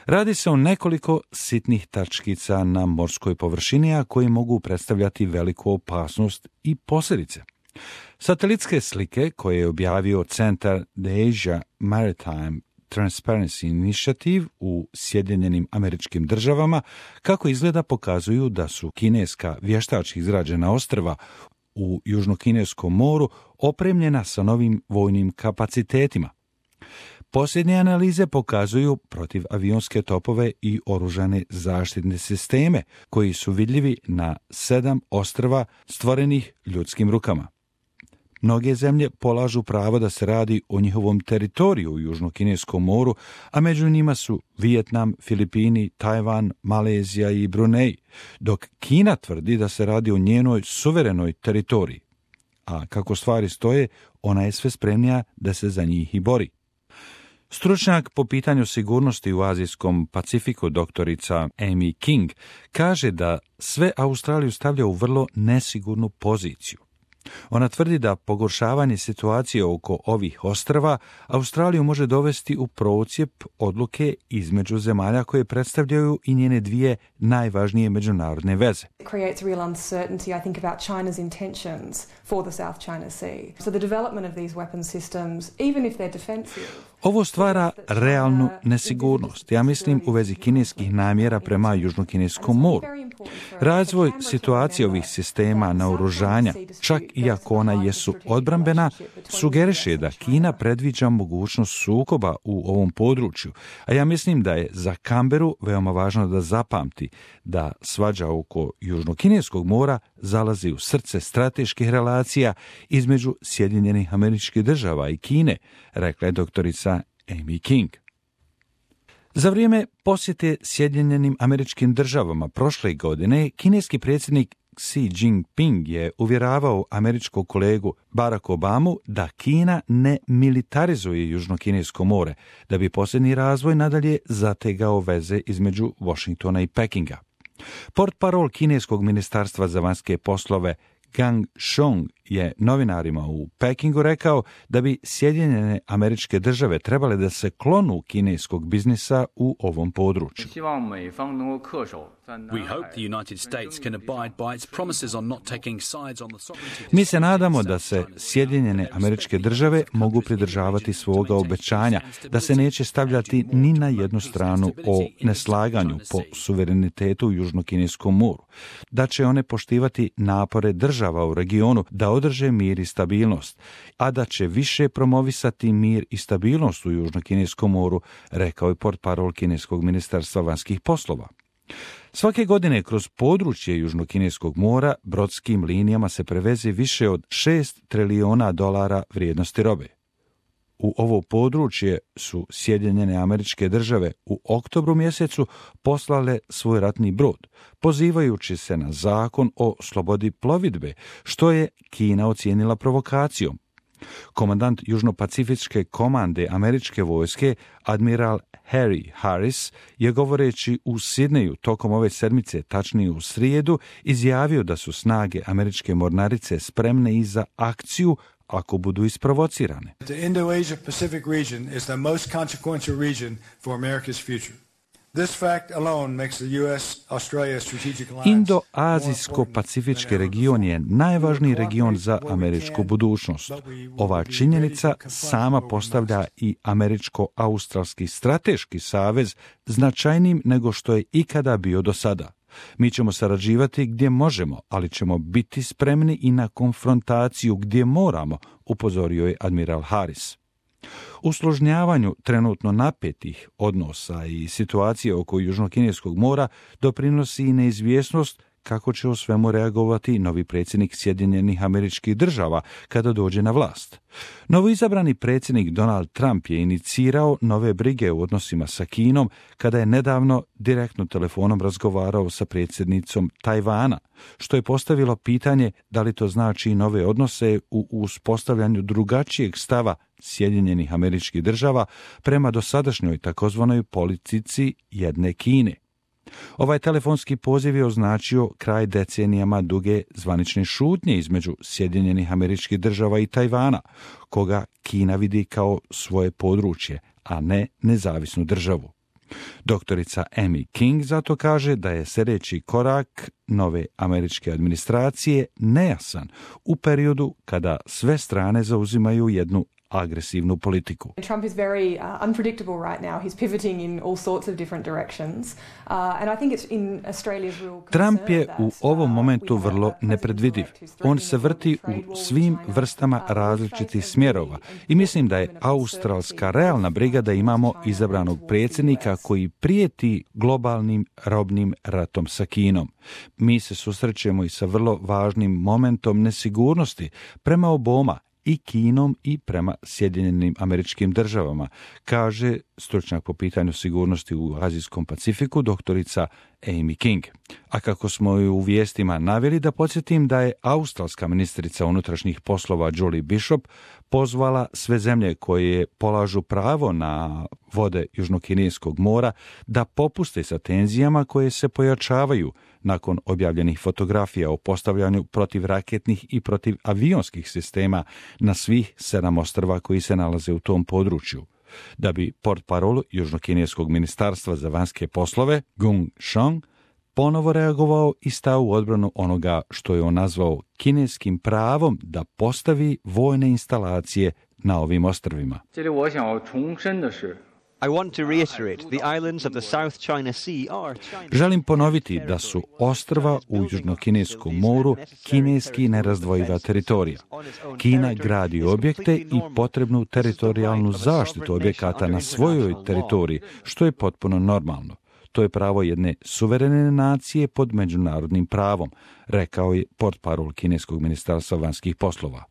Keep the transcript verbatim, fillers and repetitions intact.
Radi se o nekoliko sitnih tačkica na morskoj površini, a koji mogu predstavljati veliku opasnost i posljedice. Satelitske slike koje je objavio centar The Asia Maritime Transparency Initiative u Sjedinjenim Američkim Državama kako izgleda pokazuju da su kineska vještački izrađena ostrva u Južnokineskom moru opremljena sa novim vojnim kapacitetima. Posljednje analize pokazuju protivavionske topove i oružane zaštitne sisteme koji su vidljivi na sedam ostrva stvorenih ljudskim rukama. Mnoge zemlje polažu pravo da se radi o njihovom teritoriju u Južnokineskom moru, a među njima su Vijetnam, Filipini, Tajvan, Malezija i Brunei, dok Kina tvrdi da se radi o njenoj suverenoj teritoriji. A kako stvari stoje, ona je sve spremnija da se za njih i bori. Stručnjak po pitanju sigurnosti u Azijskom Pacifiku, doktorica Amy King, kaže da sve Australiju stavlja u vrlo nesigurnu poziciju. Ona tvrdi da pogoršavanje situacije oko ovih ostrva Australiju može dovesti u procjep odluke između zemalja koje predstavljaju i njene dvije najvažnije međunarodne veze. It creates real uncertainty, I think, about China's intentions for the South China Sea. So the development of these weapon systems, even if they're defensive. Ovo stvara realnu nesigurnost, ja mislim, u vezi kineskih namjera prema Južnokineskom moru. Razvoj situacije ovih sistema naoružanja, čak i ako ona jesu odbrambena, sugeriše da Kina predviđa mogućnost sukoba u ovom području, a ja mislim da je za Canberu veoma važno da zapamti da svađa oko Južnokineskog mora zalazi u srce strateških relacija između Sjedinjenih Američkih Država i Kine, rekla je doktorica Amy King. Za vrijeme posjete Sjedinjenim Američkim Državama prošle godine, kineski predsjednik Xi Jinping je uvjeravao američkog kolegu Barack Obamu da Kina ne militarizuje Južnokinesko more, da bi posljednji razvoj nadalje zategao veze između Washingtona i Pekinga. Portparol kineskog ministarstva za vanjske poslove Gang Shong je novinarima u Pekingu rekao da bi Sjedinjene Američke Države trebale da se klonu kineskog biznisa u ovom području. Mi se nadamo da se Sjedinjene Američke Države mogu pridržavati svoga obećanja, da se neće stavljati ni na jednu stranu o neslaganju po suverenitetu u Južnokineskom moru, da će one poštivati napore država u regionu da održe mir i stabilnost, a da će više promovisati mir i stabilnost u Južnokineskom moru, rekao je portparol kineskog ministarstva vanjskih poslova. Svake godine kroz područje Južnokineskog mora brodskim linijama se preveze više od šest trilijona dolara vrijednosti robe. U ovo područje su Sjedinjene Američke Države u oktobru mjesecu poslale svoj ratni brod, pozivajući se na zakon o slobodi plovidbe, što je Kina ocijenila provokacijom. Komandant Južnopacifičke komande američke vojske, admiral Harry Harris, je govoreći u Sidneju tokom ove sedmice, tačnije u srijedu, izjavio da su snage američke mornarice spremne i za akciju ako budu isprovocirane. The Indo-Asia-Pacific region is the most consequential region for America's future. This fact alone makes the U S Australia strategic alliance. Indo-azijsko-pacifički region je najvažniji region za američku budućnost. Ova činjenica sama postavlja i američko-australski strateški savez značajnijim nego što je ikada bio do sada. Mi ćemo sarađivati gdje možemo, ali ćemo biti spremni i na konfrontaciju gdje moramo, upozorio je admiral Harris. Usložnjavanju trenutno napetih odnosa i situacije oko Južnokineskog mora doprinosi i neizvjesnost kako će o svemu reagovati novi predsjednik Sjedinjenih Američkih Država kada dođe na vlast. Novoizabrani predsjednik Donald Trump je inicirao nove brige u odnosima sa Kinom kada je nedavno direktno telefonom razgovarao sa predsjednicom Tajvana, što je postavilo pitanje da li to znači nove odnose u uspostavljanju drugačijeg stava Sjedinjenih Američkih Država prema dosadašnjoj takozvanoj politici jedne Kine. Ovaj telefonski poziv je označio kraj decenijama duge zvanične šutnje između Sjedinjenih Američkih Država i Tajvana, koga Kina vidi kao svoje područje, a ne nezavisnu državu. Doktorica Amy King zato kaže da je sljedeći korak nove američke administracije nejasan u periodu kada sve strane zauzimaju jednu agresivnu politiku. Trump is very uh, unpredictable right now. He's pivoting in all sorts of different directions. Uh, and I think it's in Australia's real concern. Trump je u ovom momentu vrlo nepredvidiv. On se vrti u svim vrstama različitih smjerova i mislim da je australska realna briga da imamo izabranog predsjednika koji prijeti globalnim robnim ratom sa Kinom. Mi se susrećemo i sa vrlo važnim momentom nesigurnosti prema oboma i Kinom i prema Sjedinjenim Američkim Državama, kaže stručnjak po pitanju sigurnosti u Azijskom Pacifiku, doktorica Amy King. A kako smo i u vijestima naveli, da podsjetim da je australska ministrica unutrašnjih poslova Julie Bishop pozvala sve zemlje koje polažu pravo na vode Južnokineskog mora da popuste sa tenzijama koje se pojačavaju nakon objavljenih fotografija o postavljanju protivraketnih i protivavionskih sistema na svih sedam ostrva koji se nalaze u tom području. Da bi portparol Južnokineskog ministarstva za vanjske poslove, Gung Shong, ponovo reagovao i stao u odbranu onoga što je on nazvao kineskim pravom da postavi vojne instalacije na ovim ostrvima. I want to reiterate, the islands of the South China Sea are China's. Želim ponoviti da su ostrva u Južnokineskom moru kineski nerazdvojiva teritorija. Kina gradi objekte i potrebnu teritorijalnu zaštitu objekata na svojoj teritoriji, što je potpuno normalno. To je pravo jedne suverene nacije pod međunarodnim pravom, rekao je portparol kineskog ministarstva vanjskih poslova.